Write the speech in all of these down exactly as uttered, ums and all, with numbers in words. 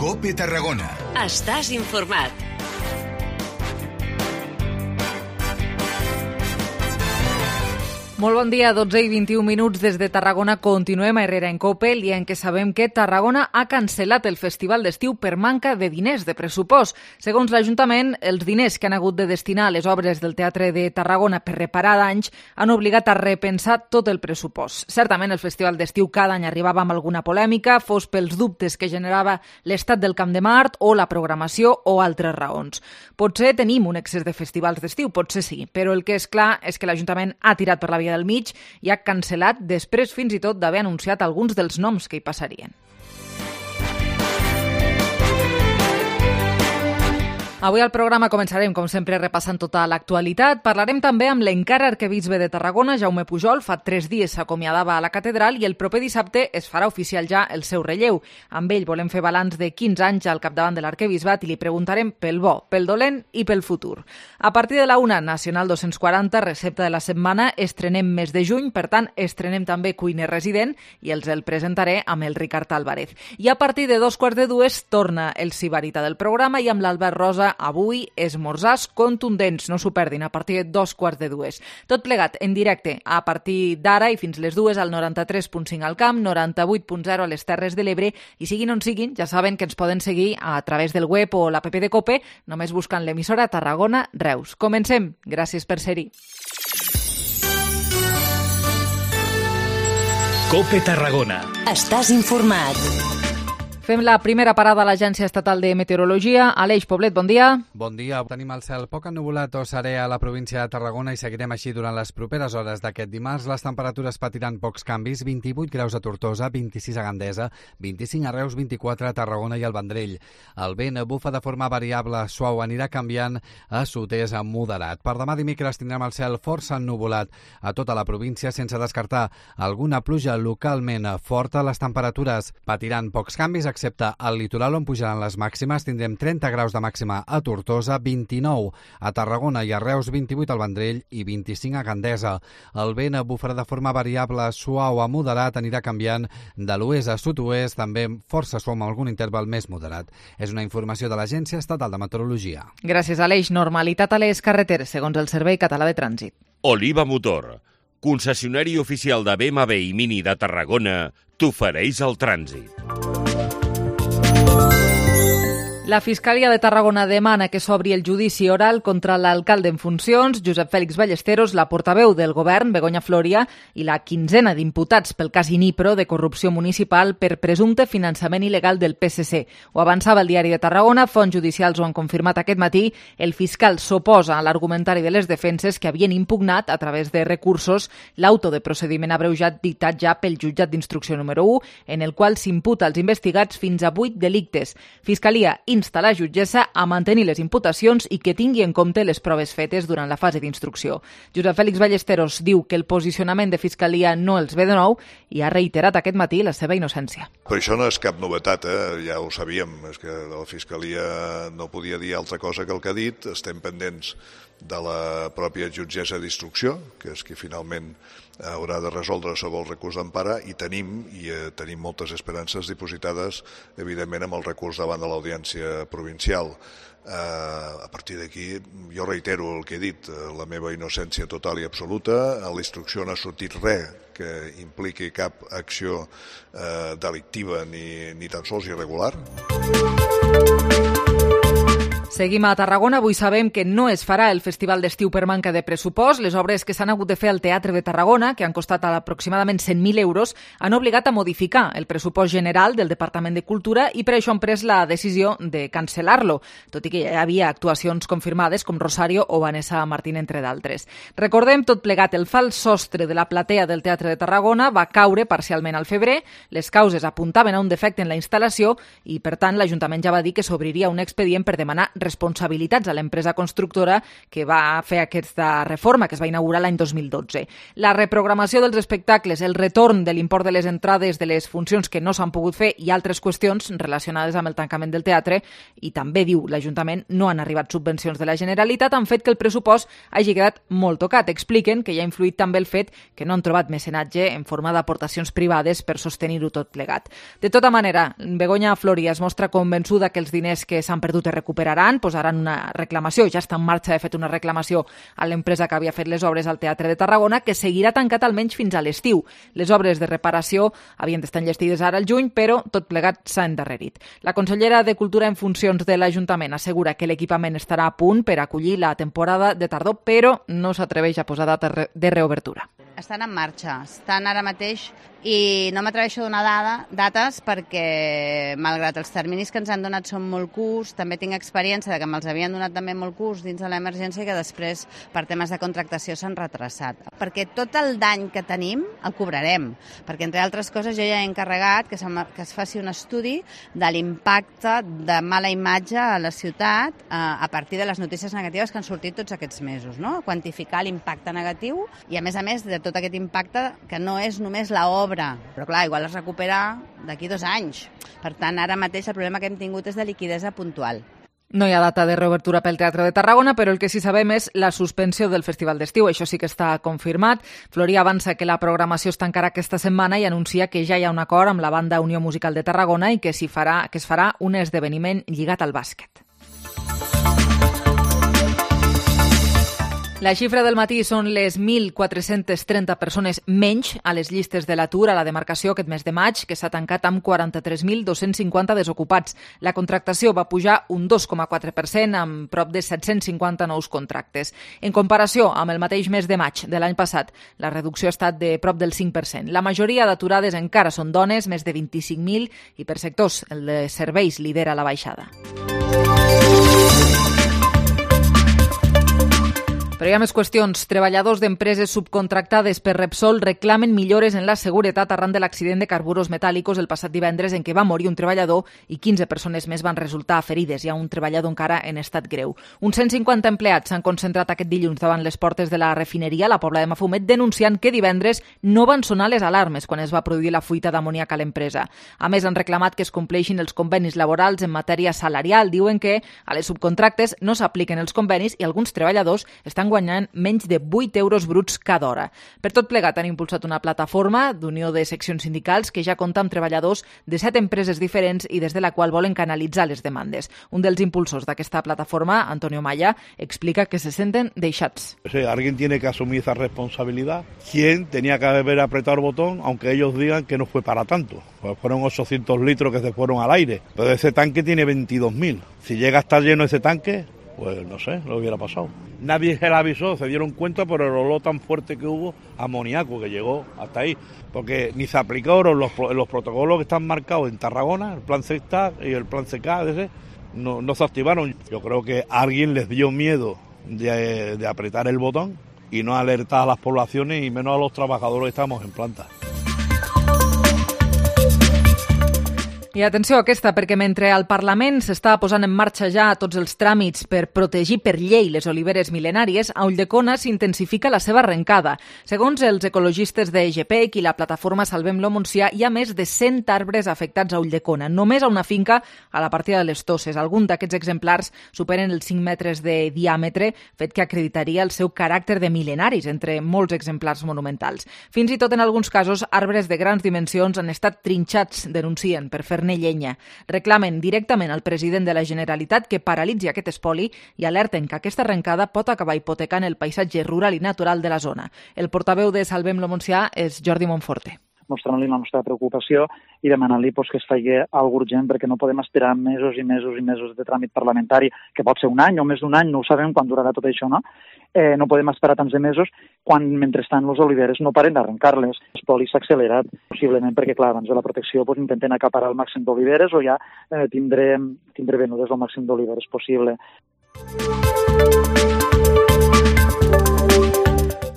COPE Tarragona. Estàs informat. Molt bon dia, dotze i vint-i-un minuts des de Tarragona. Continuem a Herrera en COPE, el dia en què sabem que Tarragona ha cancel·lat el festival d'estiu per manca de diners, de pressupost. Segons l'Ajuntament, els diners que han hagut de destinar a les obres del Teatre de Tarragona per reparar danys han obligat a repensar tot el pressupost. Certament el festival d'estiu cada any arribava amb alguna polèmica, fos pels dubtes que generava l'estat del Camp de Mart o la programació o altres raons. Potser tenim un excés de festivals d'estiu, potser sí, però el que és clar és que l'Ajuntament ha tirat per la via del mig i ha cancel·lat després fins i tot d'haver anunciat alguns dels noms que hi passarien. Avui al programa començarem, com sempre, repassant tota l'actualitat. Parlarem també amb l'encara arquebisbe de Tarragona, Jaume Pujol. Fa tres dies s'acomiadava a la catedral i el proper dissabte es farà oficial ja el seu relleu. Amb ell volem fer balanç de quinze anys al capdavant de l'arquebisbat i li preguntarem pel bo, pel dolent i pel futur. A partir de la una, Nacional dos-cents quaranta, recepta de la setmana, estrenem mes de juny, per tant, estrenem també cuiner resident i els el presentaré amb el Ricard Álvarez. I a partir de dos quarts de dues torna el Sibarita del programa i amb l'Albert Rosa avui esmorzars contundents, no s'ho perdin, a partir de dos quarts de dues. Tot plegat en directe a partir d'ara i fins les dues al noranta-tres punt cinc al Camp, noranta-vuit punt zero a les Terres de l'Ebre i siguin on siguin, ja saben que ens poden seguir a través del web o l'app de COPE, només buscant l'emissora Tarragona Reus. Comencem. Gràcies per ser-hi. COPE Tarragona. Estàs informat. Fem la primera parada a l'Agència Estatal de Meteorologia. Aleix Poblet, bon dia. Bon dia. Tenim el cel poc ennuvolat o serè a la província de Tarragona i seguirem així durant les properes hores d'aquest dimarts. Les temperatures patiran pocs canvis, vint-i-vuit graus a Tortosa, vint-i-sis a Gandesa, vint-i-cinc a Reus, vint-i-quatre a Tarragona i al Vendrell. El vent bufa de forma variable, suau, anirà canviant a sud-est a moderat. Per demà dimecres tindrem el cel força ennuvolat a tota la província, sense descartar alguna pluja localment forta. Les temperatures patiran pocs canvis, excepte al litoral on pujaran les màximes. Tindrem trenta graus de màxima a Tortosa, vint-i-nou a Tarragona i a Reus, vint-i-vuit al Vendrell i vint-i-cinc a Gandesa. El vent bufarà de forma variable, suau a moderat, anirà canviant de l'oest a sud-oest, també força suau amb algun interval més moderat. És una informació de l'Agència Estatal de Meteorologia. Gràcies, Aleix. Normalitat a les carreteres, segons el Servei Català de Trànsit. Oliva Motor, concessionari oficial de B M W i Mini de Tarragona, t'ofereix el trànsit. La Fiscalia de Tarragona demana que s'obri el judici oral contra l'alcalde en funcions, Josep Fèlix Ballesteros, la portaveu del govern, Begoña Floria, i la quinzena d'imputats pel cas Inipro de corrupció municipal per presumpte finançament il·legal del P S C. Ho avançava el diari de Tarragona, fonts judicials ho han confirmat aquest matí. El fiscal s'oposa a l'argumentari de les defenses que havien impugnat a través de recursos l'auto de procediment abreujat dictat ja pel jutjat d'instrucció número u, en el qual s'imputa als investigats fins a vuit delictes. Fiscalia insta la jutgessa a mantenir les imputacions i que tingui en compte les proves fetes durant la fase d'instrucció. Josep Fèlix Ballesteros diu que el posicionament de Fiscalia no els ve de nou i ha reiterat aquest matí la seva innocència. Però això no és cap novetat, eh? Ja ho sabíem, és que la Fiscalia no podia dir altra cosa que el que ha dit. Estem pendents de la pròpia jutgessa d'instrucció, que és qui finalment haurà de resoldre sobre el recurs d'empara, i tenim i eh, tenim moltes esperances dipositades, evidentment, amb el recurs davant de l'Audiència Provincial. Eh, a partir d'aquí, jo reitero el que he dit, eh, la meva innocència total i absoluta. A la instrucció no ha sortit res que impliqui cap acció eh, delictiva ni, ni tan sols irregular. Seguim a Tarragona. Avui sabem que no es farà el Festival d'Estiu per manca de pressupost. Les obres que s'han hagut de fer al Teatre de Tarragona, que han costat aproximadament cent mil euros, han obligat a modificar el pressupost general del Departament de Cultura i per això han pres la decisió de cancel·lar-lo, tot i que ja hi havia actuacions confirmades com Rosario o Vanessa Martín, entre d'altres. Recordem tot plegat, el fals sostre de la platea del Teatre de Tarragona va caure parcialment al febrer. Les causes apuntaven a un defecte en la instal·lació i, per tant, l'Ajuntament ja va dir que s'obriria un expedient per demanar responsabilitats a l'empresa constructora que va fer aquesta reforma, que es va inaugurar l'any dos mil dotze. La reprogramació dels espectacles, el retorn de l'import de les entrades de les funcions que no s'han pogut fer i altres qüestions relacionades amb el tancament del teatre, i també, diu l'Ajuntament, no han arribat subvencions de la Generalitat, han fet que el pressupost hagi quedat molt tocat. Expliquen que hi ha influït també el fet que no han trobat mecenatge en forma d'aportacions privades per sostenir-ho tot plegat. De tota manera, Begoña Floria es mostra convençuda que els diners que s'han perdut es recuperaran, posaran una reclamació, ja està en marxa, de fet, una reclamació a l'empresa que havia fet les obres al Teatre de Tarragona, que seguirà tancat almenys fins a l'estiu. Les obres de reparació havien d'estar enllestides ara al juny, però tot plegat s'ha endarrerit. La consellera de Cultura en funcions de l'Ajuntament assegura que l'equipament estarà a punt per acollir la temporada de tardor, però no s'atreveix a posar data de reobertura. Estan en marxa, estan ara mateix i no m'atreveixo a donar dada, dates perquè, malgrat els terminis que ens han donat són molt curts, també tinc experiència de que me'ls havien donat també molt curts dins de l'emergència i que després, per temes de contractació, s'han retrasat. Perquè tot el dany que tenim el cobrarem, perquè, entre altres coses, jo ja he encarregat que, que es faci un estudi de l'impacte de mala imatge a la ciutat eh, a partir de les notícies negatives que han sortit tots aquests mesos, no? Quantificar l'impacte negatiu i, a més a més, de tot aquest impacte que no és només l'obra, però clar, igual es recupera d'aquí dos anys. Per tant, ara mateix el problema que hem tingut és de liquidesa puntual. No hi ha data de reobertura pel Teatre de Tarragona, però el que sí sabem és la suspensió del Festival d'Estiu. Això sí que està confirmat. Floria avança que la programació es tancarà aquesta setmana i anuncia que ja hi ha un acord amb la Banda Unió Musical de Tarragona i que, s'hi farà, que es farà un esdeveniment lligat al bàsquet. La xifra del matí són les mil quatre-cents trenta persones menys a les llistes de l'atur a la demarcació aquest mes de maig, que s'ha tancat amb quaranta-tres mil dos-cents cinquanta desocupats. La contractació va pujar un dos coma quatre per cent amb prop de set-cents cinquanta nous contractes. En comparació amb el mateix mes de maig de l'any passat, la reducció ha estat de prop del cinc per cent. La majoria d'aturades encara són dones, més de vint-i-cinc mil, i per sectors el de serveis lidera la baixada. Però hi ha més qüestions. Treballadors d'empreses subcontractades per Repsol reclamen millores en la seguretat arran de l'accident de carburos metàl·licos el passat divendres en què va morir un treballador i quinze persones més van resultar ferides. Hi ha un treballador encara en estat greu. Uns cent cinquanta empleats s'han concentrat aquest dilluns davant les portes de la refineria a la Pobla de Mafumet denunciant que divendres no van sonar les alarmes quan es va produir la fuita d'amoníac a l'empresa. A més, han reclamat que es compleixin els convenis laborals en matèria salarial. Diuen que a les subcontractes no s'apliquen els convenis i alguns treballadors estan guanyant menys de vuit euros bruts cada hora. Per tot plegat han impulsat una plataforma d'unió de seccions sindicals que ja compta amb treballadors de set empreses diferents i des de la qual volen canalitzar les demandes. Un dels impulsors d'aquesta plataforma, Antonio Maya, explica que se senten deixats. O sea, alguien tiene que asumir esa responsabilidad. ¿Quién tenía que haber apretado el botón, aunque ellos digan que no fue para tanto? Pues fueron ochocientos litros que se fueron al aire. Pero ese tanque tiene veintidós mil. Si llega a estar lleno ese tanque, pues no sé, lo hubiera pasado. Nadie se la avisó, se dieron cuenta por el olor tan fuerte que hubo a amoníaco que llegó hasta ahí. Porque ni se aplicaron los, los protocolos que están marcados en Tarragona, el plan C E C y el plan C K, ese, no, no se activaron. Yo creo que a alguien les dio miedo de, de apretar el botón y no alertar a las poblaciones y menos a los trabajadores que estamos en planta. I atenció a aquesta, perquè mentre al Parlament s'està posant en marxa ja tots els tràmits per protegir per llei les oliveres mil·lenàries, a Ulldecona s'intensifica la seva arrencada. Segons els ecologistes de G P E C i la plataforma Salvem-lo Montsià, hi ha més de cent arbres afectats a Ulldecona, només a una finca a la partida de les Tosses. Algun d'aquests exemplars superen els cinc metres de diàmetre, fet que acreditaria el seu caràcter de mil·lenaris entre molts exemplars monumentals. Fins i tot en alguns casos, arbres de grans dimensions han estat trinxats, denuncien, per fer llenya. Reclamen directament al president de la Generalitat que paralitzi aquest espoli i alerten que aquesta arrencada pot acabar hipotecant el paisatge rural i natural de la zona. El portaveu de Salvem-lo Montsià és Jordi Monforte. Mostrant-li la nostra preocupació i demanant-li pues, que es faci alguna urgent perquè no podem esperar mesos i mesos i mesos de tràmit parlamentari, que pot ser un any o més d'un any, no ho sabem quan durarà tot això, no? Eh, no podem esperar tants de mesos quan, mentrestant, les oliveres no paren d'arrencar-les. L'espoli s'ha accelerat, possiblement perquè, clar, abans de la protecció pues, intenten acaparar el màxim d'oliveres o ja eh, tindré, tindré venudes el màxim d'oliveres possible.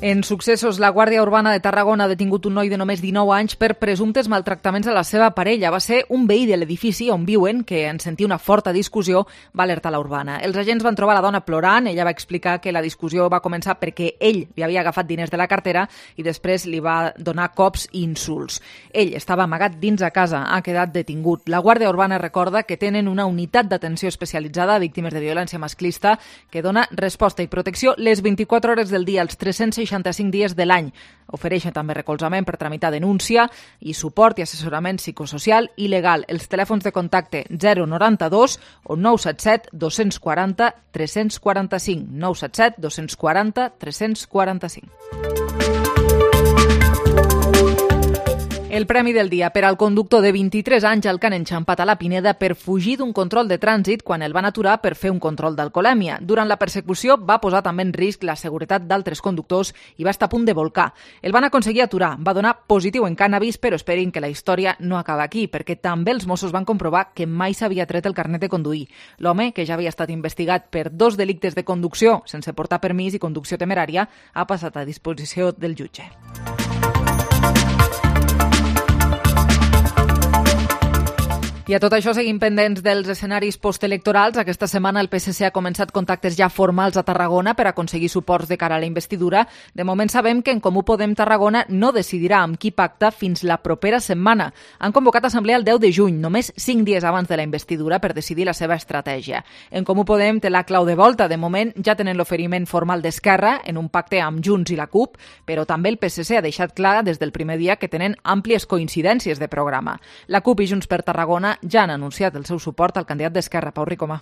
En successos, la Guàrdia Urbana de Tarragona ha detingut un noi de només dinou anys per presumptes maltractaments a la seva parella. Va ser un veí de l'edifici on viuen, que en sentir una forta discussió, va alertar la Urbana. Els agents van trobar la dona plorant. Ella va explicar que la discussió va començar perquè ell li havia agafat diners de la cartera i després li va donar cops i insults. Ell estava amagat dins a casa, ha quedat detingut. La Guàrdia Urbana recorda que tenen una unitat d'atenció especialitzada a víctimes de violència masclista que dona resposta i protecció les vint-i-quatre hores del dia, els tres cents seixanta-cinc dies de l'any. Ofereixen també recolzament per tramitar denúncia i suport i assessorament psicosocial i legal. Els telèfons de contacte zero noranta-dos o nou set set dos quatre zero tres quatre cinc. nou set set dos quatre zero tres quatre cinc. El premi del dia per al conductor de vint-i-tres anys al que han enxampat a la Pineda per fugir d'un control de trànsit quan el van aturar per fer un control d'alcoholèmia. Durant la persecució va posar també en risc la seguretat d'altres conductors i va estar a punt de volcar. El van aconseguir aturar, va donar positiu en cànnabis, però esperin que la història no acaba aquí, perquè també els Mossos van comprovar que mai s'havia tret el carnet de conduir. L'home, que ja havia estat investigat per dos delictes de conducció sense portar permís i conducció temerària, ha passat a disposició del jutge. I a tot això seguim pendents dels escenaris postelectorals. Aquesta setmana el P S C ha començat contactes ja formals a Tarragona per aconseguir suports de cara a la investidura. De moment sabem que en Comú Podem Tarragona no decidirà amb qui pacta fins la propera setmana. Han convocat assemblea el deu de juny, només cinc dies abans de la investidura, per decidir la seva estratègia. En Comú Podem té la clau de volta. De moment ja tenen l'oferiment formal d'Esquerra en un pacte amb Junts i la CUP, però també el P S C ha deixat clar des del primer dia que tenen àmplies coincidències de programa. La CUP i Junts per Tarragona ja han anunciat el seu suport al candidat d'Esquerra, Pau Ricomà.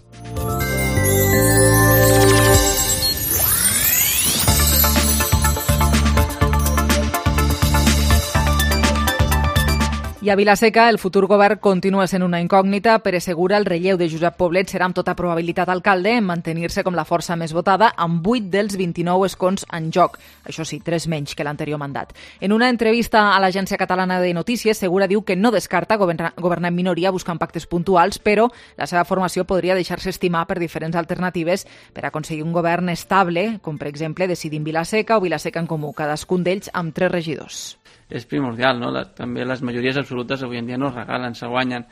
I a Vila-seca, el futur govern continua sent una incògnita. Pere Segura, el relleu de Josep Poblet, serà amb tota probabilitat alcalde en mantenir-se com la força més votada, amb vuit dels vint-i-nou escons en joc. Això sí, tres menys que l'anterior mandat. En una entrevista a l'Agència Catalana de Notícies, Segura diu que no descarta governar, governar en minoria buscant pactes puntuals, però la seva formació podria deixar-se estimar per diferents alternatives per aconseguir un govern estable, com per exemple decidir Vila-seca o Vila-seca en Comú, cadascun d'ells amb tres regidors. És primordial, no? La, també les majories absolutes avui en dia no es regalen, se guanyen.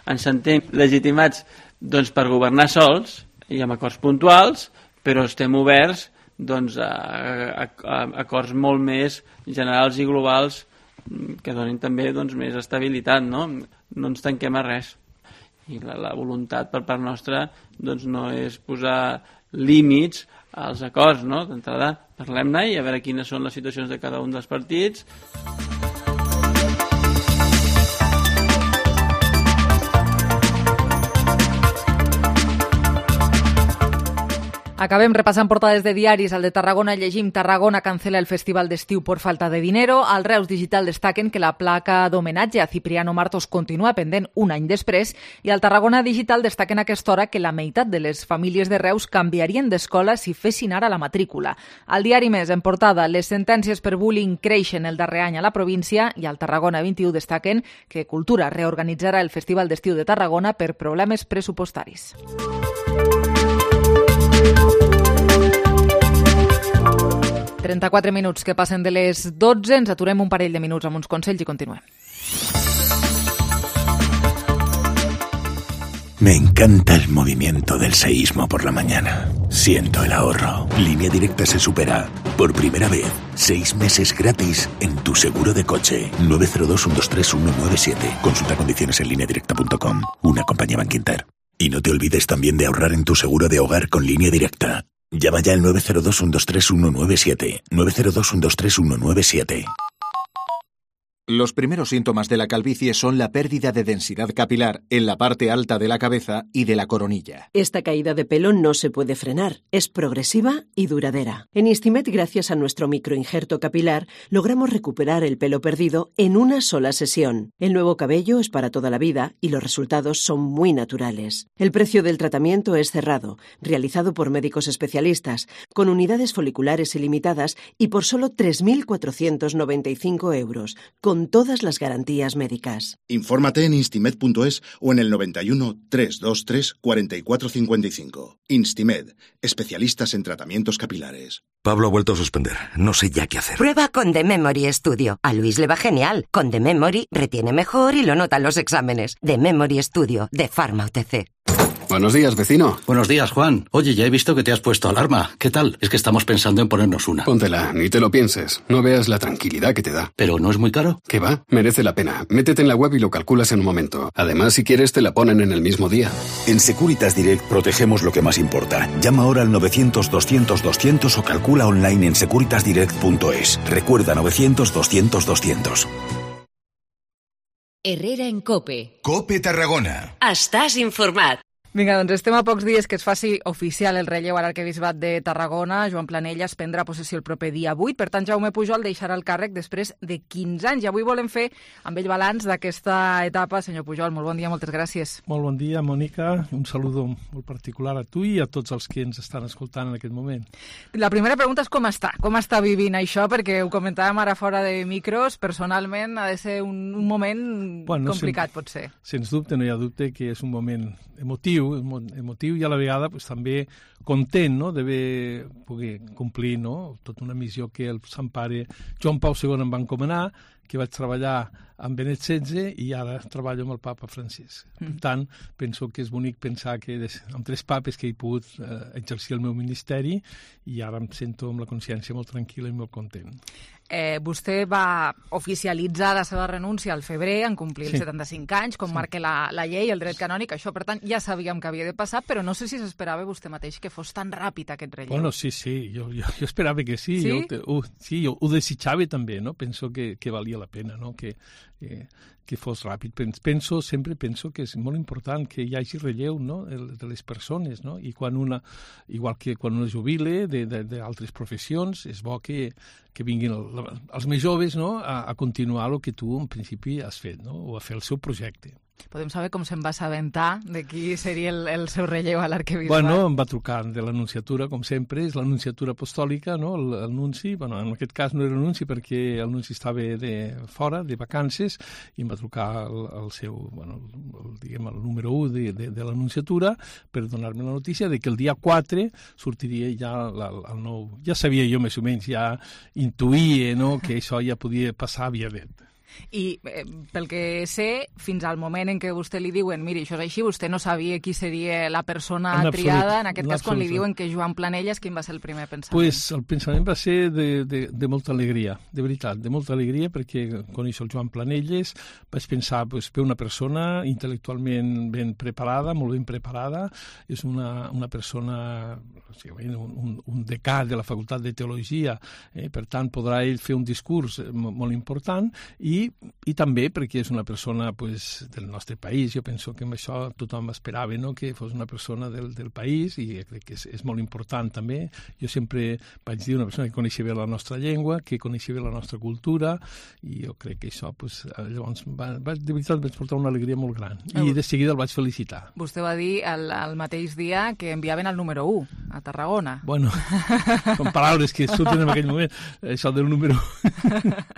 Ens sentim legitimats doncs, per governar sols i amb acords puntuals, però estem oberts doncs, a, a, a acords molt més generals i globals que donin també doncs, més estabilitat, no? No ens tanquem a res. I la, la voluntat per part nostra doncs, no és posar límits als acords, no? D'entrada parlem-ne i a veure quines són les situacions de cada un dels partits. Acabem repassant portades de diaris. Al de Tarragona llegim: Tarragona cancela el festival d'estiu por falta de dinero. Al Reus Digital destaquen que la placa d'homenatge a Cipriano Martos continua pendent un any després, i al Tarragona Digital destaquen a aquesta hora que la meitat de les famílies de Reus canviarien d'escola si fessin ara la matrícula. Al diari Més, en portada, les sentències per bullying creixen el darrer any a la província, i al Tarragona vint i u destaquen que Cultura reorganitzarà el festival d'estiu de Tarragona per problemes pressupostaris. trenta-quatre minuts que passen de les dotze, ens aturem un parell de minuts amb uns consells i continuem. Me encanta el movimiento del seísmo por la mañana. Siento el ahorro. Línea Directa se supera. Por primera vez, seis meses gratis en tu seguro de coche. nueve cero dos uno dos tres uno nueve siete. Consulta condiciones en línea directa punto com. Una compañía Bankinter. Y no te olvides también de ahorrar en tu seguro de hogar con Línea Directa. Llama ya al nueve cero dos uno dos tres uno nueve siete. nueve cero dos uno dos tres uno nueve siete. Los primeros síntomas de la calvicie son la pérdida de densidad capilar en la parte alta de la cabeza y de la coronilla. Esta caída de pelo no se puede frenar, es progresiva y duradera. En Istimet, gracias a nuestro microinjerto capilar, logramos recuperar el pelo perdido en una sola sesión. El nuevo cabello es para toda la vida y los resultados son muy naturales. El precio del tratamiento es cerrado, realizado por médicos especialistas, con unidades foliculares ilimitadas y por solo tres mil cuatrocientos noventa y cinco euros, con con todas las garantías médicas. Infórmate en instimed punto es o en el noventa y uno, trescientos veintitrés, cuarenta y cuatro cincuenta y cinco. Instimed, especialistas en tratamientos capilares. Pablo ha vuelto a suspender. No sé ya qué hacer. Prueba con The Memory Studio. A Luis le va genial. Con The Memory retiene mejor y lo nota en los exámenes. The Memory Studio, de Pharma U T C. Buenos días, vecino. Buenos días, Juan. Oye, ya he visto que te has puesto alarma. ¿Qué tal? Es que estamos pensando en ponernos una. Póntela, ni te lo pienses. No veas la tranquilidad que te da. ¿Pero no es muy caro? ¿Qué va? Merece la pena. Métete en la web y lo calculas en un momento. Además, si quieres, te la ponen en el mismo día. En Securitas Direct protegemos lo que más importa. Llama ahora al novecientos, doscientos, doscientos o calcula online en securitas direct punto es. Recuerda novecientos, doscientos, doscientos. Herrera en COPE. COPE Tarragona. Estàs informat. Vinga, doncs estem a pocs dies que es faci oficial el relleu a l'arquebisbat de Tarragona. Joan Planelles prendrà possessió el proper dia vuit. Per tant, Jaume Pujol deixarà el càrrec després de quinze anys. I avui volem fer amb ell balanç d'aquesta etapa. Senyor Pujol, molt bon dia, moltes gràcies. Molt bon dia, Mònica. Un saludo molt particular a tu i a tots els que ens estan escoltant en aquest moment. La primera pregunta és com està? Com està vivint això? Perquè ho comentàvem ara fora de micros. Personalment ha de ser un, un moment bueno, complicat, sen, pot ser. Sens dubte, no hi ha dubte que és un moment emotiu, emotiu i a la vegada pues, també content, no?, d'haver poder complir, no?, tota una missió que el Sant Pare Joan Pau segon em va encomanar, que vaig treballar amb Benet setze i ara treballo amb el papa Francisc. Mm. Per tant, penso que és bonic pensar que amb tres papes que he pogut eh, exercir el meu ministeri i ara em sento amb la consciència molt tranquil·la i molt content. Eh, vostè va oficialitzar la seva renúncia al febrer, en complir els sí. setanta-cinc anys, com sí. marca la, la llei, el dret canònic. Això, per tant, ja sabíem que havia de passar, però no sé si s'esperava vostè mateix que fos tan ràpid aquest relleu. Bueno, sí, sí, jo, jo, jo esperava que sí. Sí? Jo, uh, sí, jo ho desitjava també, no? Penso que, que valia la pena, no?, que, que, que fos ràpid. Penso, sempre penso que és molt important que hi hagi relleu, no?, de les persones, no? I quan una, igual que quan una jubile d'altres professions, és bo que, que vinguin el, els més joves, no?, a, a continuar el que tu en principi has fet, no?, o a fer el seu projecte. Podem saber com se'n va assabentar de qui seria el, el seu relleu a l'arquebisbat? Bueno, em va trucar de l'anunciatura, com sempre, és l'anunciatura apostòlica, no?, l'anunci. Bueno, en aquest cas no era l'anunci perquè l'anunci estava de fora, de vacances, i em va trucar el, el seu, bueno, el, diguem, el número u de, de, de l'anunciatura per donar-me la notícia de que el dia quatre sortiria ja la, el nou... Ja sabia jo més o menys, ja intuïa, no?, que això ja podia passar via net. I eh, pel que sé, fins al moment en què vostè li diuen miri, això és així, vostè no sabia qui seria la persona en triada, absolut, en aquest en cas quan li diuen que Joan Planelles, quin va ser el primer pensament? Pues el pensament va ser de, de, de molta alegria, de veritat, de molta alegria, perquè coneixo el Joan Planelles, vaig pensar, pues, per una persona intel·lectualment ben preparada, molt ben preparada, és una, una persona, o sigui, un, un decà de la Facultat de Teologia, eh, per tant podrà ell fer un discurs molt important, i i també perquè és una persona pues, del nostre país. Jo penso que amb això tothom esperava, no?, que fos una persona del, del país i crec que és, és molt important també. Jo sempre vaig dir una persona que coneixia bé la nostra llengua, que coneixia bé la nostra cultura i jo crec que això pues, llavors va, va, de veritat vaig portar una alegria molt gran i de seguida el vaig felicitar. Vostè va dir el, el mateix dia que enviaven el número u a Tarragona. Bueno, són paraules que surten en aquell moment, això del número u.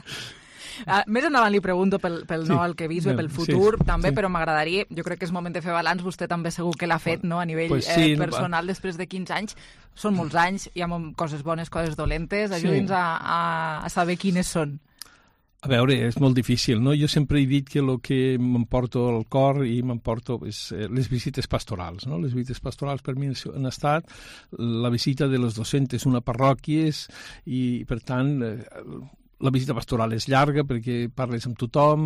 Uh, més endavant li pregunto pel, pel sí, nou arquebisbe, pel futur, sí, també, sí. Però m'agradaria, jo crec que és moment de fer balanç, vostè també segur que l'ha fet, no?, a nivell pues sí, eh, personal, no, després de quinze anys. Són molts anys, hi ha coses bones, coses dolentes, ajudi'ns sí. a, a, a saber quines són. A veure, és molt difícil, no? Jo sempre he dit que el que m'emporto al cor i m'emporto és les visites pastorals, no? Les visites pastorals per mi han estat la visita de les dues-centes una parròquies i, per tant, la visita pastoral és llarga perquè parles amb tothom,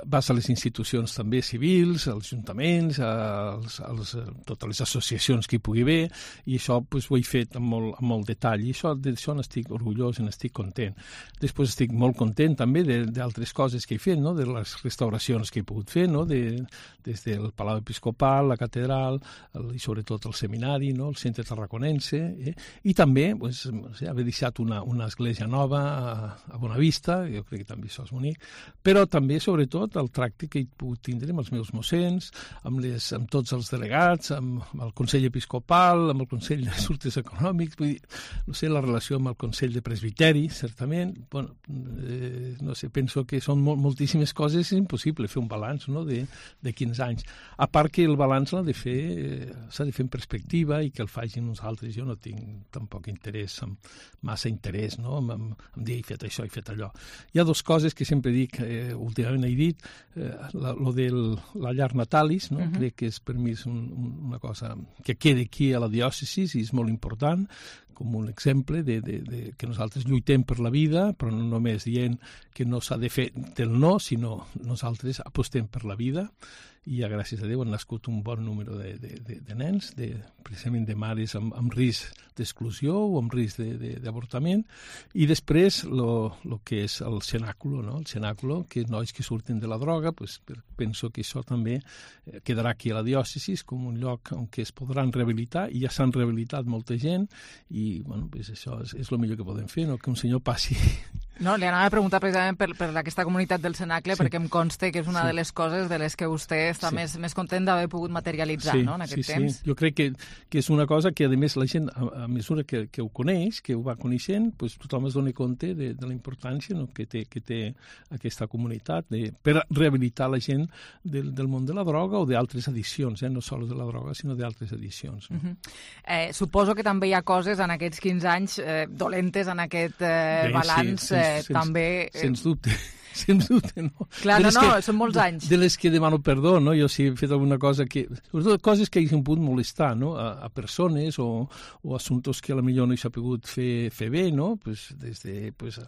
vas a les institucions també civils, als ajuntaments, als, als, a totes les associacions que hi pugui haver, i això pues, ho he fet amb molt, amb molt detall, i això, d'això n'estic orgullós i n'estic content. Després estic molt content també d'altres coses que he fet, no? De les restauracions que he pogut fer, no? De, des del Palau Episcopal, la catedral, el, i sobretot el seminari, no? El centre tarraconense, eh? I també pues, haver deixat una, una església nova a, a a Bonavista, jo crec que també això és bonic, però també, sobretot, el tracte que he pogut tindre amb els meus mossens, amb, les, amb tots els delegats, amb, amb el Consell Episcopal, amb el Consell d'Assumptes Econòmics, vull dir, no sé, la relació amb el Consell de Presbiteri, certament, bueno, eh, no sé, penso que són molt, moltíssimes coses, és impossible fer un balanç, no?, de, de quinze anys. A part que el balanç l'ha de fer, eh, s'ha de fer en perspectiva i que el facin uns altres. Jo no tinc tampoc interès, amb, massa interès, no?, en, en, en dir he fet això, he fet allò. Hi ha dues coses que sempre dic, eh, últimament he dit, eh, la, lo de la llar natalis, no? Uh-huh. Crec que és per mi és un, un, una cosa que queda aquí a la diòcesi i és molt important, com un exemple de, de, de que nosaltres lluitem per la vida, però no només dient que no s'ha de fer del no, sinó nosaltres apostem per la vida, i ja, gràcies a Déu, han nascut un bon número de, de, de, de nens, de, precisament de mares amb, amb risc d'exclusió o amb risc d'avortament, i després el que és el cenàculo, no? El cenàculo, que nois que surten de la droga, pues, penso que això també quedarà aquí a la diòcesi com un lloc on es podran rehabilitar, i ja s'han rehabilitat molta gent, i bueno, pues això és, és el millor que podem fer, no? Que un senyor passi... No, li anava a preguntar precisament per, per aquesta comunitat del Cenacle, sí. Perquè em consta que és una sí. de les coses de les que vostè està sí. més, més content d'haver pogut materialitzar, sí, no?, en aquest sí, temps. Sí. Jo crec que, que és una cosa que, a més, la gent, a, a mesura que, que ho coneix, que ho va coneixent, pues, tothom es dona compte de, de la importància, no?, que, té, que té aquesta comunitat de, per rehabilitar la gent del, del món de la droga o d'altres addiccions, eh? No sols de la droga, sinó d'altres addiccions. No? Uh-huh. eh, suposo que també hi ha coses en aquests quinze anys eh, dolentes en aquest eh, Bé, balanç, sí, eh, sens, també... Eh... Sens dubte. Sens dubte, no. Clar, no, no, que, són molts anys. De les que demano perdó, no? Jo si he fet alguna cosa que... Sobretot coses que hagin pogut molestar, no? A, a persones o, o assumptes que a la millor no s'ha pogut fer, fer bé, no? Pues des de pues,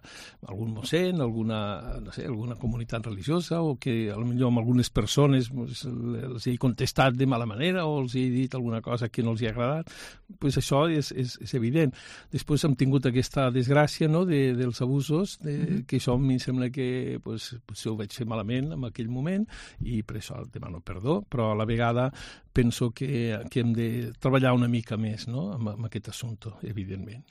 algun mossèn, alguna, no sé, alguna comunitat religiosa, o que a la millor amb algunes persones pues, els he contestat de mala manera o els he dit alguna cosa que no els ha agradat. Pues això és, és, és evident. Després hem tingut aquesta desgràcia, no?, de, dels abusos, de, mm-hmm. que això a mi sembla que pues, potser ho vaig fer malament en aquell moment i per això demano perdó, però a la vegada penso que, que hem de treballar una mica més, no?, amb, amb aquest assumpte, evidentment.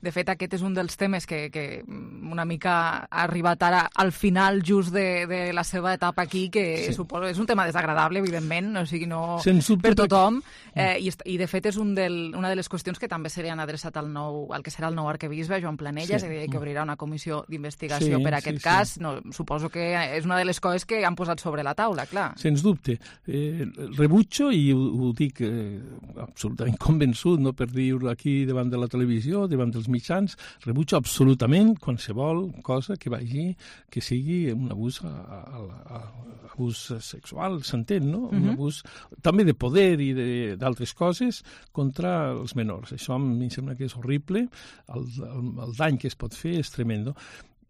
De fet, aquest és un dels temes que, que una mica ha arribat ara al final just de, de la seva etapa aquí, que sí. suposo és un tema desagradable, evidentment, o sigui, no per tothom, eh, i, i de fet és un del, una de les qüestions que també serien adreçat al, nou, al que serà el nou arquebisbe, Joan Planella, sí. és a dir, que obrirà una comissió d'investigació sí, per a aquest sí, cas. Sí. No, suposo que és una de les coses que han posat sobre la taula, clar. Sens dubte. Eh, rebutjo, i ho, ho dic eh, absolutament convençut, no per dir-ho aquí davant de la televisió, davant dels mitjans, rebutjo absolutament qualsevol cosa que vagi, que sigui un abús, a, a, a, a abús sexual, s'entén, no? Uh-huh. Un abús també de poder i d'altres coses contra els menors. Això a mi em sembla que és horrible, el, el, el dany que es pot fer és tremendo.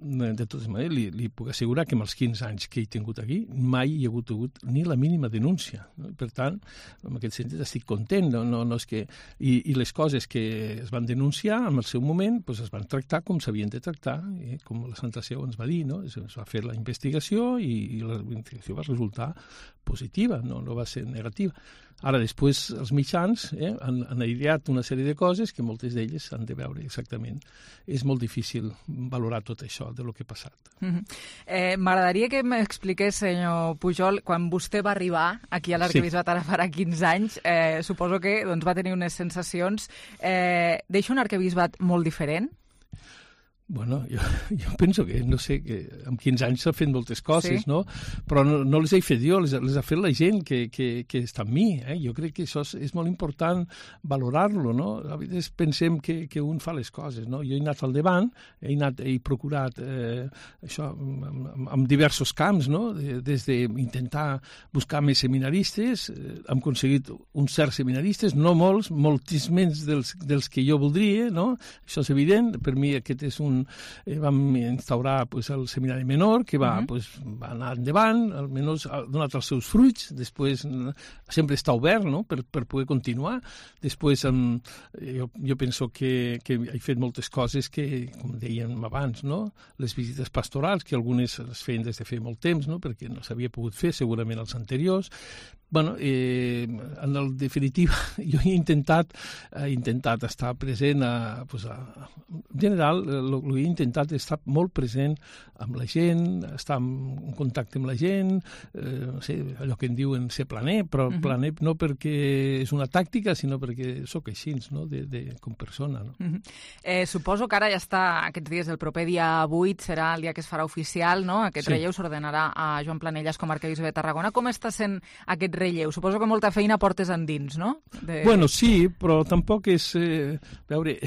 De totes maneres, li, li puc assegurar que en els quinze anys que he tingut aquí mai hi ha hagut, hagut ni la mínima denúncia. No? Per tant, en aquest sentit estic content. No, no, no és que... I, I les coses que es van denunciar en el seu moment pues, es van tractar com s'havien de tractar, eh? Com la Santa Seu ens va dir. No? Es, es va fer la investigació i, i la investigació va resultar positiva, no, no va ser negativa. Ara, després, els mitjans eh, han, han aireat una sèrie de coses que moltes d'elles s'han de veure exactament. És molt difícil valorar tot això de lo que ha passat. Mm-hmm. eh, M'agradaria que m'expliqués, senyor Pujol, quan vostè va arribar aquí a l'Arquebisbat sí. ara farà quinze anys, eh, suposo que doncs, va tenir unes sensacions. Eh, deixa un arquebisbat molt diferent? Bueno, jo, jo penso que, no sé, que amb quinze anys s'ha fet moltes coses, sí. no? Però no, no les he fet jo, les, les ha fet la gent que, que, que està amb mi, eh? Jo crec que això és, és molt important valorar-lo, no? A vegades pensem que, que un fa les coses, no? Jo he anat al davant, he, anat, he procurat eh, això en, en diversos camps, no? Des d'intentar buscar més seminaristes, eh, hem aconseguit uns certs seminaristes, no molts, moltíssims dels, dels que jo voldria, no? Això és evident, per mi aquest és un Eh, vam instaurar pues, el seminari menor, que va, uh-huh. pues, va anar endavant, almenys ha donat els seus fruits, després sempre està obert, no?, per, per poder continuar. Després um, jo, jo penso que, que he fet moltes coses que, com dèiem abans, no?, les visites pastorals, que algunes les feien des de fer molt temps, no?, perquè no s'havia pogut fer segurament els anteriors. Bueno, eh, en el definitiva, jo he intentat, he intentat estar present a, pues, a, en general, lo, que he intentat és estar molt present amb la gent, estar en contacte amb la gent, eh, no sé, allò que en diuen ser planer, però uh -huh. planer no perquè és una tàctica, sinó perquè sóc així, no? de, de, com persona. No? Uh -huh. eh, suposo que ara ja està, aquests dies, el proper dia vuit serà el dia que es farà oficial, no? Aquest sí. relleu s'ordenarà a Joan Planelles com a arquebisbe de Tarragona. Com està sent aquest relleu? Suposo que molta feina portes endins, no? De... Bueno, sí, però tampoc és... Eh, veure,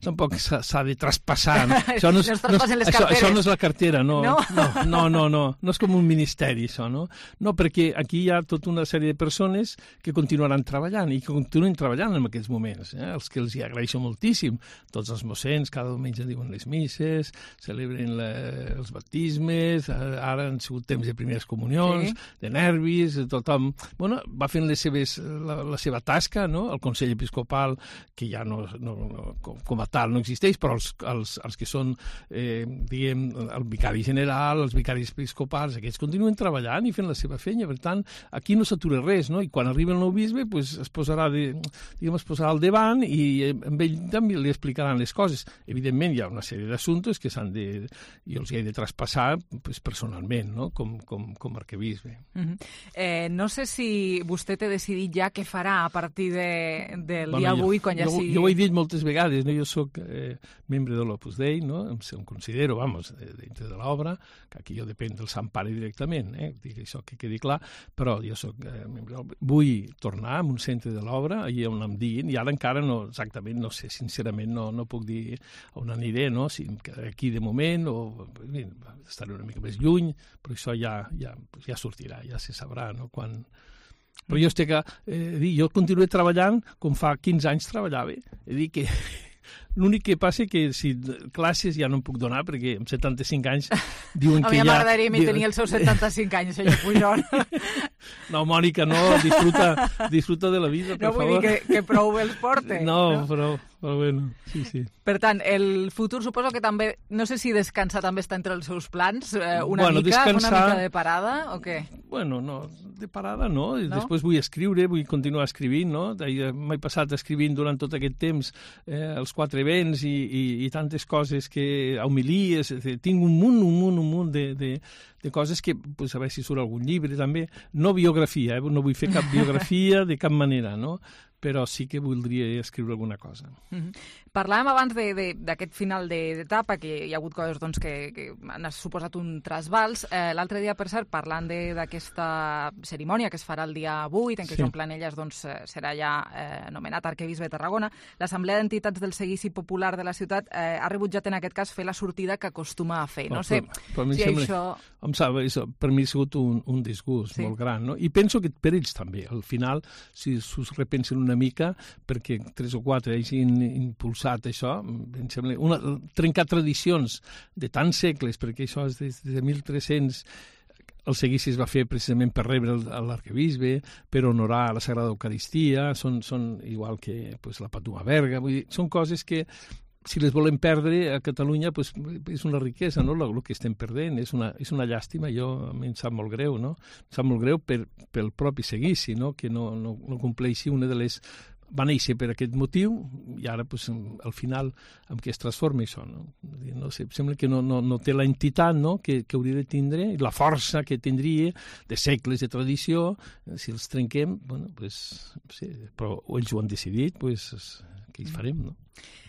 tampoc s'ha de traspassar. No? Això no és, no és, això, això no és la cartera, no. No? No, no, no, no. No és com un ministeri, això, no? No, perquè aquí hi ha tota una sèrie de persones que continuaran treballant i que continuen treballant en aquests moments, eh? Els que els hi agraeixo moltíssim. Tots els mossens cada diumenge diuen les misses, celebren la, els baptismes, ara han sigut temps de primeres comunions, sí. de nervis, tothom bueno, va fent les seves, la, la seva tasca, no? El Consell Episcopal, que ja no, no, no com, com a tal no existeix, però els, els, els que són, eh, diguem, el vicari general, els vicaris episcopals, aquests continuen treballant i fent la seva feina, per tant, aquí no s'atura res, no? I quan arriba el nou bisbe, pues, es posarà de, diguem, es posarà al davant i amb ell també li explicaran les coses. Evidentment, hi ha una sèrie d'assumptes que s'han de, jo els he de traspassar pues, personalment, no? com, com, com a arquebisbe. Uh-huh. eh, no sé si vostè té decidit ja què farà a partir de, del bueno, dia jo, avui, quan ja jo, sigui... Jo ho he dit moltes vegades, no? Jo soc eh, membre de l'Opus Dei, no? Em, em considero, vamos, dintre de l'obra, que aquí jo depèn del Sant Pare directament, eh? Dic això que quedi clar, però jo soc eh, membre del... Vull tornar a un centre de l'obra, allà on em diguin, i ara encara no, exactament, no sé, sincerament no, no puc dir on aniré, no? Si aquí de moment, o bé, estaré una mica més lluny, però això ja, ja, ja sortirà, ja se sabrà, no? Quan... Però jo estic, eh, dir, jo continuo treballant com fa quinze anys treballava. És dir, que l'únic que passa que si classes ja no em puc donar perquè amb setanta-cinc anys diuen que ja... A mi m'agradaria mi tenir els seus setanta-cinc anys, senyor Pujol. No, Mònica, no, disfruta, disfruta de la vida, per favor. No vull favor. dir que, que prou bé els porte. No, no? Però, però bueno, sí, sí. Per tant, el futur suposo que també, no sé si descansar també està entre els seus plans, eh, una, bueno, mica, descansar... una mica de parada, o què? Bueno, no, de parada no. no? Després vull escriure, vull continuar escrivint, no? M'he passat escrivint durant tot aquest temps eh, els quatre events i, i, i tantes coses que homilies, tinc un munt, un munt, un munt de, de, de coses que, pues, a veure si surt algun llibre també, no biografia, eh? No vull fer cap biografia de cap manera, no? Però sí que voldria escriure alguna cosa. Mm-hmm. Parlàvem abans d'aquest final d'etapa, que hi ha hagut coses doncs, que, que han suposat un trasbals. Eh, L'altre dia, per cert, parlant d'aquesta cerimònia que es farà el dia vuit, en què sí. Joan Planelles doncs, serà ja eh, nomenat arquebisbe de Tarragona, l'Assemblea d'Entitats del Seguici Popular de la ciutat eh, ha rebutjat en aquest cas fer la sortida que acostuma a fer. No, no sé però, però si sembla, això... Em sap, això... Per mi ha sigut un, un disgust sí. molt gran, no? I penso que per ells també. Al final, si s'ho repensen una mica, perquè tres o quatre hagin impulsat això, em sembla, una, trencar tradicions de tants segles, perquè això és des de mil tres-cents, el seguici es va fer precisament per rebre l'arquebisbe, per honorar la Sagrada Eucaristia, són, són igual que pues, la Patuma Berga, vull dir, són coses que si les volem perdre a Catalunya pues, és una riquesa, no? El que estem perdent és una, és una llàstima, jo a mi em sap molt greu, no? Em sap molt greu per, pel propi seguici, no? Que no, no, no compleixi una de les... Va néixer per aquest motiu i ara pues, al final amb què es transforma això, no? No sé, sembla que no, no, no té l'entitat, no? que, que hauria de tindre, la força que tindria de segles de tradició, si els trenquem, bueno, pues, sí, però ells ho han decidit, pues, què hi farem, no?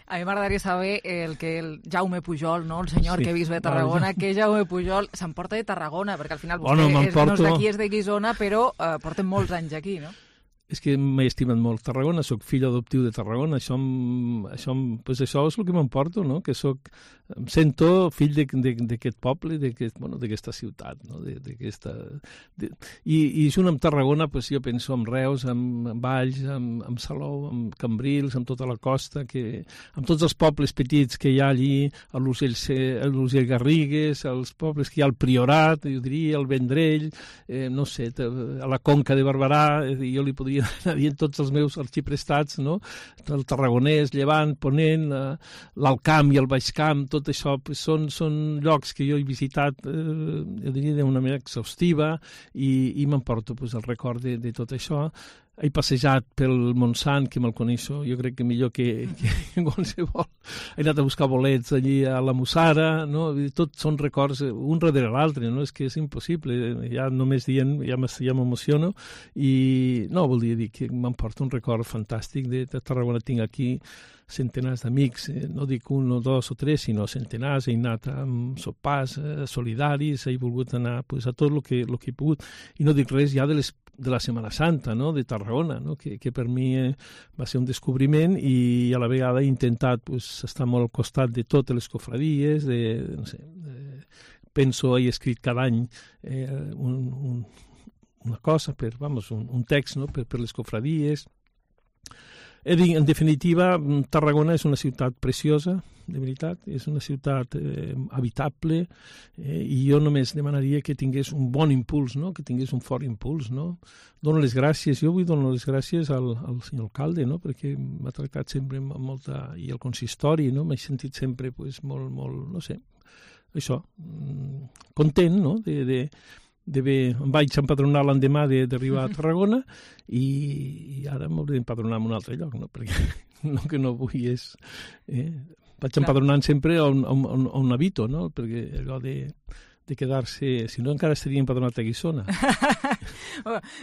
A mi m'agradaria saber el que el Jaume Pujol, no? El senyor sí. arquebisbe de Tarragona, no, que Jaume Pujol s'emporta de Tarragona, perquè al final vostè bueno, és, no és d'aquí, és de Guissona, però eh, porten molts anys aquí, no? És que m'he estimat molt Tarragona, sóc fill adoptiu de Tarragona, això, això, pues això és el que m'emporto, no? Que soc, em sento fill d'aquest poble, d'aquesta bueno, ciutat, no? D'aquesta... De, i, I junt amb Tarragona, pues, jo penso en Reus, en, en Valls, en, en Salou, en Cambrils, en tota la costa, que, amb tots els pobles petits que hi ha allí, a l'Urgell Garrigues, els pobles que hi ha al Priorat, jo diria, al Vendrell, eh, no sé, a la Conca de Barberà, jo li podria anar dient tots els meus arxiprestats, no? El Tarragonès, Llevant, Ponent, l'Alt Camp i el Baix Camp, tot això pues, són, són llocs que jo he visitat, eh, jo diria, d'una manera exhaustiva i, i m'emporto pues, el record de, de tot això. he passejat pel Montsant, que me'l coneixo, jo crec que millor que, que qualsevol. He anat a buscar bolets allí a la Mussara, no? Tot són records un darrere l'altre, no? És que és impossible, ja només dient ja m'emociono, i no, volia dir que m'emporta un record fantàstic de, de Tarragona. Tinc aquí centenars d'amics, eh, no dic un o dos o tres, sinó centenars. He anat amb sopars eh, solidaris, he volgut anar pues, a tot el que, el que he pogut, i no dic res ja de, les, de la Setmana Santa, no? De Tarragona, no? que, que per mi eh, va ser un descobriment, i a la vegada he intentat pues, estar molt al costat de totes les cofradies, de, no sé, de, penso, he escrit cada any eh, un, un, una cosa, per, vamos, un, un text no? per, per les cofradies. En definitiva, Tarragona és una ciutat preciosa, de veritat, és una ciutat eh, habitable, eh, i jo només demanaria que tingués un bon impuls, no? Que tingués un fort impuls. No? Dono les gràcies, jo vull donar les gràcies al, al senyor alcalde, no? Perquè m'ha tractat sempre amb molta... i el consistori, no? M'he sentit sempre pues, molt, molt, no sé, això, content, no? de... de de bé, em vaig empadronar l'endemà d'arribar a Tarragona, i, i ara m'hauré d'empadronar en un altre lloc, no? Perquè el que no vull és... Eh? Vaig empadronant sempre on, on, on, on habito, no? Perquè allò de, de quedar-se... Si no, encara estaria empadronat a Guissona.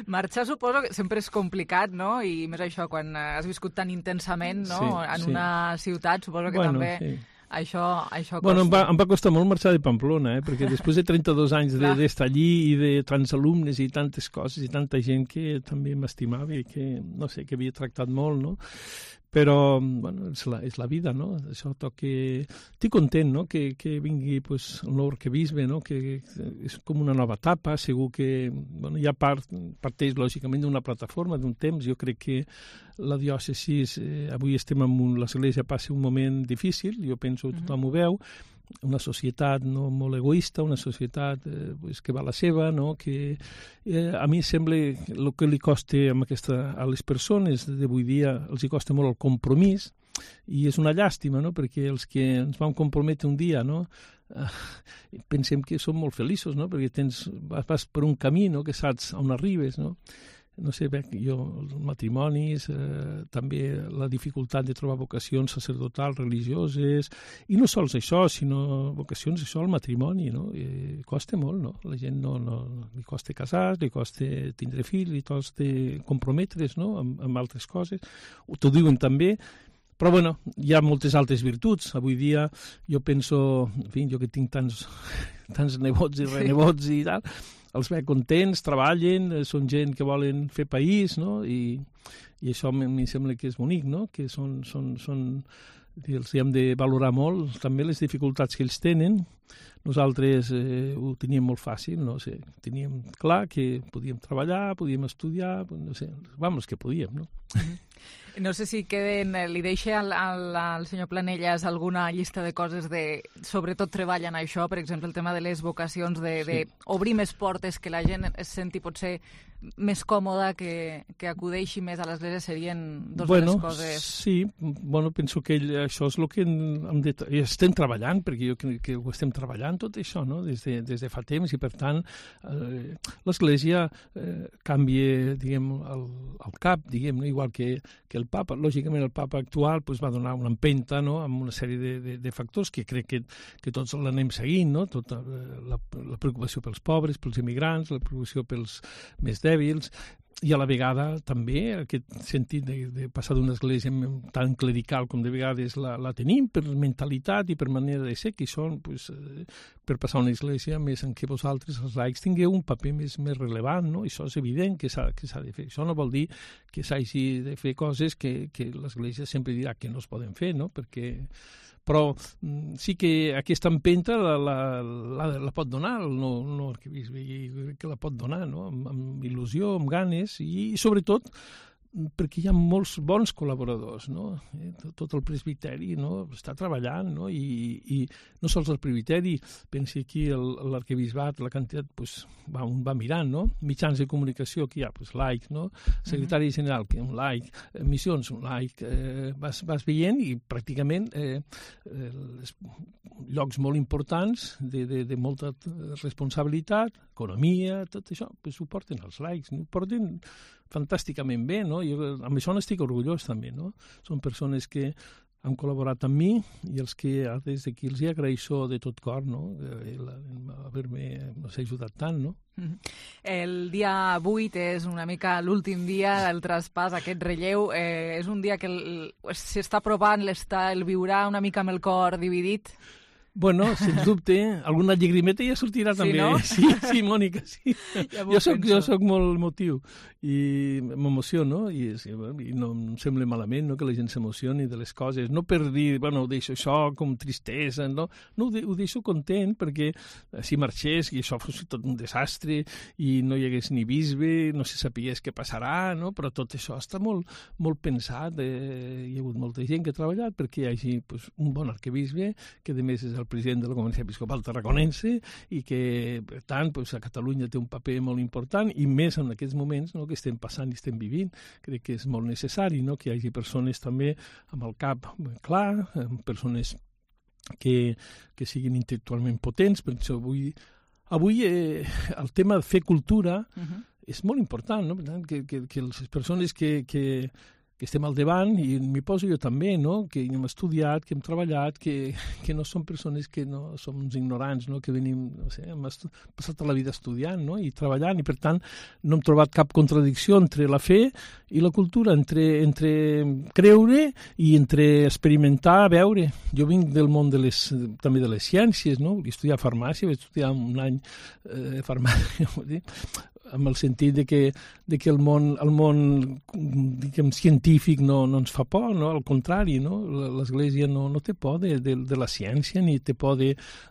Marxar suposo que sempre és complicat, no? I més això, quan has viscut tan intensament, no? Sí, en sí. una ciutat, suposo que bueno, també... Sí. Això, això costa. Bueno, em va, em va costar molt marxar de Pamplona, eh? Perquè després de trenta-dos anys d'estar allí i de tants alumnes i tantes coses i tanta gent que també m'estimava i que, no sé, que havia tractat molt, no? Però, bueno, és la, és la vida, no? Això toca... Estic content, no?, que, que vingui pues, el nou arquebisbe, no?, que és com una nova etapa, segur que, bueno, ja part, parteix, lògicament, d'una plataforma, d'un temps. Jo crec que la diòcesi, eh, avui estem en un... L'Església passa un moment difícil, jo penso que tothom ho veu, una societat no molt egoista, una societat eh, pues, que va a la seva, no? Que eh, a mi sembla el que li costa amb aquesta, a les persones d'avui dia els hi costa molt el compromís, i és una llàstima, no? Perquè els que ens vam comprometre un dia, no? Eh, pensem que som molt feliços, no? Perquè tens, vas per un camí, no? Que saps on arribes, no? No sé, bé, jo, els matrimonis, eh, també la dificultat de trobar vocacions sacerdotals, religioses, i no sols això, sinó vocacions, això, el matrimoni, no? I costa molt, no? La gent no, no, li costa casar, li costa tindre fills, li costa comprometre's, no? Amb, amb altres coses. T'ho diuen també, però, bueno, hi ha moltes altres virtuts. Avui dia jo penso, en fi, jo que tinc tants, tants nebots i renebots i tal, els veig contents, treballen, són gent que volen fer país, no? I, i això a mi sembla que és bonic, no? Que són, són, són, els hem de valorar molt, també les dificultats que ells tenen. Nosaltres eh, ho teníem molt fàcil, no sé, teníem clar que podíem treballar, podíem estudiar, no sé, vamos, que podíem, no? No sé si queden, li deixa al, al, al senyor Planelles alguna llista de coses de, sobretot treball en això, per exemple, el tema de les vocacions, de, sí. de obrir més portes, que la gent es senti potser més còmoda, que, que acudeixi més a l'església, serien dos bueno, de les coses... Sí, bueno, penso que això és el que hem de, estem treballant, perquè jo crec que ho estem treballant tot això, no? Des de, des de fa temps, i per tant eh, l'església eh, canvia, diguem, el, el cap, diguem, no? Igual que, que el papa. Lògicament el papa actual pues, va donar una empenta, no? Amb una sèrie de, de, de factors que crec que, que tots l'anem seguint, no? Tota la, la preocupació pels pobres, pels immigrants, la preocupació pels més dèbils, i a la vegada també aquest sentit de, de passar d'una església tan clerical com de vegades la, la tenim per mentalitat i per manera de ser, que són pues, eh, per passar a una església més en què vosaltres, els laics, tingueu un paper més, més relevant, no? Això és evident que s'ha de fer. Això no vol dir que s'hagi de fer coses que, que l'església sempre dirà que no es poden fer, no? Perquè però sí que aquesta empenta la, la, la, la pot donar el nou, el nou arquebisbe, i que la pot donar, no? amb, amb il·lusió, amb ganes, i, i sobretot perquè hi ha molts bons col·laboradors, no? Tot el presbiteri, no? Està treballant, no? I, i no sols el presbiteri, pensi aquí l'arquebisbat, la quantitat, pues, va, un va mirant, no? Mitjans de comunicació que hi ha, pues, laic, no? Secretari uh-huh. general, que un laic, missions, un laic, eh, vas, vas veient, i pràcticament eh, eh, llocs molt importants de, de, de molta responsabilitat, economia, tot això, pues, ho porten els laics, no? Ho porten fantàsticament bé, no? Jo amb això n'estic orgullós també, no? Són persones que han col·laborat amb mi i els que des d'aquí els hi agraeixo de tot cor, no? Haver-me ajudat tant, no? El dia vuit és una mica l'últim dia del traspàs, aquest relleu. Eh, és un dia que s'està provant, el viurà una mica amb el cor dividit. Bueno, sens dubte, alguna llagrimeta ja sortirà també. Sí, no? Sí, sí, Mònica, sí. Ja jo, soc, jo soc molt emotiu i m'emociono i, i no em sembla malament, no?, que la gent s'emocioni de les coses. No per dir, bueno, ho deixo això com tristesa, no? No, ho, de, ho deixo content perquè si marxés i això fos tot un desastre i no hi hagués ni bisbe, no se sapies què passarà, no? Però tot això està molt, molt pensat. Eh, hi ha hagut molta gent que ha treballat perquè hi hagi pues, un bon arquebisbe que a més és el president de la Conferència Episcopal Tarraconense i que, per tant, pues, a Catalunya té un paper molt important i més en aquests moments, no?, que estem passant i estem vivint. Crec que és molt necessari, no?, que hi hagi persones també amb el cap clar, persones que, que siguin intel·lectualment potents. Per això avui, avui eh, el tema de fer cultura uh-huh. és molt important, no? Per tant, que, que, que les persones que, que que estem al davant, i m'hi poso jo també, no?, que hem estudiat, que hem treballat, que, que no som persones que no som uns ignorants, no?, que venim, no sé, hem passat tota la vida estudiant, no?, i treballant, i per tant no hem trobat cap contradicció entre la fe i la cultura, entre, entre creure i entre experimentar, veure. Jo vinc del món de les, també de les ciències, no?, vaig estudiar farmàcia, vaig estudiar un any eh, farmàcia, amb el sentit de que, de que el món, el món diguem, científic no, no ens fa por, no? Al contrari, no? L'Església no, no té por de, de, de la ciència ni té por de,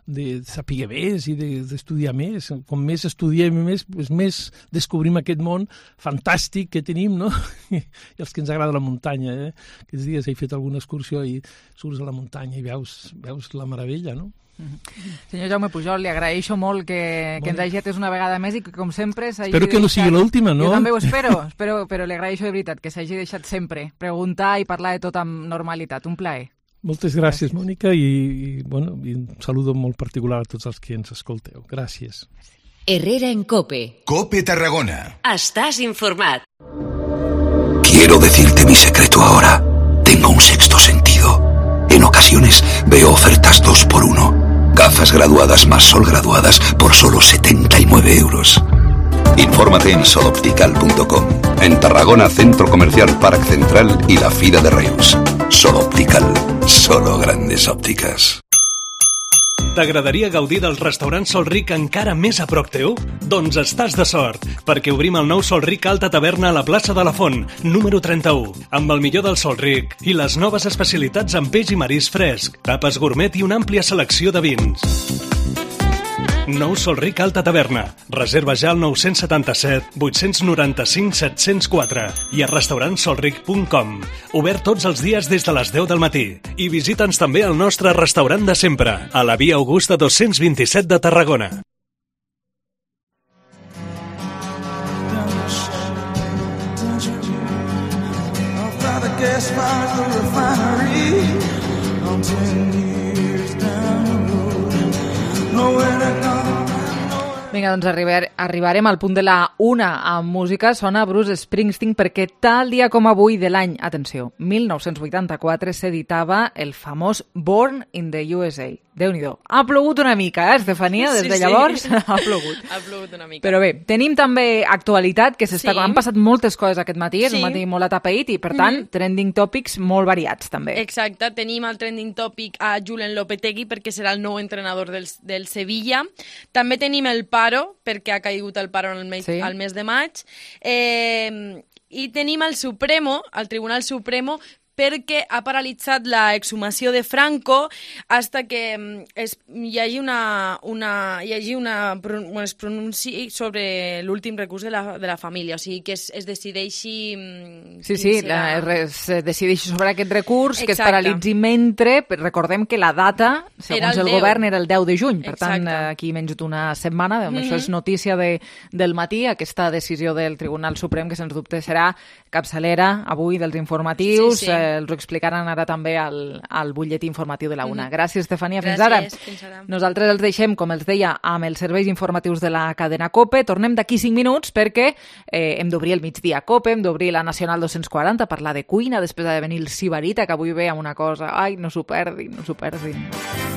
de saber més i d'estudiar de, més. Com més estudiem més, pues més descobrim aquest món fantàstic que tenim, no? I els que ens agrada la muntanya. Eh? Aquests dies he fet alguna excursió i surts a la muntanya i veus, veus la meravella, no? Senyor Jaume Pujol, li agraeixo molt que, que ens hagi atès una vegada més i que, com sempre, s'hagi Espero que no sigui l'última, no? Jo també ho espero, espero, però li agraeixo de veritat que s'hagi deixat sempre preguntar i parlar de tot amb normalitat. Un plaer. Moltes gràcies, gràcies. Mònica, i, i, bueno, i un saludo molt particular a tots els que ens escolteu. Gràcies. Herrera en COPE. COPE Tarragona. Estàs informat. Quiero decirte mi secreto ahora. Tengo un sexto sentido. En ocasiones veo ofertas dos por uno. Gafas graduadas más sol graduadas por solo setenta y nueve euros. Infórmate en soloptical punto com. En Tarragona, Centro Comercial Parc Central y la Fira de Reus. Soloptical. Solo grandes ópticas. T'agradaria gaudir del restaurant Sol Ric encara més a prop teu? Doncs estàs de sort, perquè obrim el nou Sol Ric Alta Taverna a la plaça de la Font, número trenta-u, amb el millor del Sol Ric i les noves especialitats en peix i marisc fresc, tapes gourmet i una àmplia selecció de vins. Nou Sol Ric Alta Taverna. Reserva ja al nou setanta-set vuit nou cinc set zero quatre i a restaurant solric punt com. Obert tots els dies des de les deu del matí. I visita'ns també al nostre restaurant de sempre, a la Via Augusta dos-cents vint-i-set de Tarragona. Vinga, doncs arribar, arribarem al punt de la una amb música. Sona Bruce Springsteen perquè tal dia com avui de l'any, atenció, mil nou-cents vuitanta-quatre s'editava el famós Born in the U S A. Déu-n'hi-do. Ha plogut una mica, eh, Estefania? Des de llavors sí. ha plogut. Ha plogut una mica. Però bé, tenim també actualitat, que s'està... Sí. Han passat moltes coses aquest matí, és sí. un matí molt atapeït i, per tant, mm -hmm. trending topics molt variats, també. Exacte, tenim al trending topic a Julen Lopetegui perquè serà el nou entrenador del, del Sevilla. També tenim el paro, perquè ha caigut el paro al mes, sí. al mes de maig. Eh, I tenim el Supremo, el Tribunal Supremo, perquè ha paralitzat la exhumació de Franco hasta que es, hi hagi una, una, hi hagi una bueno, es pronunciï sobre l'últim recurs de la, de la família, o sigui que es, es decideixi... Sí, sí, la, es decideixi sobre aquest recurs, exacte. Que es paralitzi mentre, recordem que la data, segons el, el govern, era el deu de juny, per exacte. Tant, aquí menys d'una setmana, mm -hmm. això és notícia de, del matí, aquesta decisió del Tribunal Suprem, que sens dubte serà capçalera avui dels informatius, sí, sí. Eh, els ho explicaran ara també al, al butlletí informatiu de la una. Mm-hmm. Gràcies, Estefania. Fins Gràcies, ara. Fins ara. Nosaltres els deixem, com els deia, amb els serveis informatius de la cadena COPE. Tornem d'aquí cinc minuts perquè eh, hem d'obrir el migdia COPE, hem d'obrir la Nacional dos-cents quaranta, parlar de cuina, després ha de venir el Sibarita, que avui ve amb una cosa. Ai, no s'ho perdin, no s'ho perdin.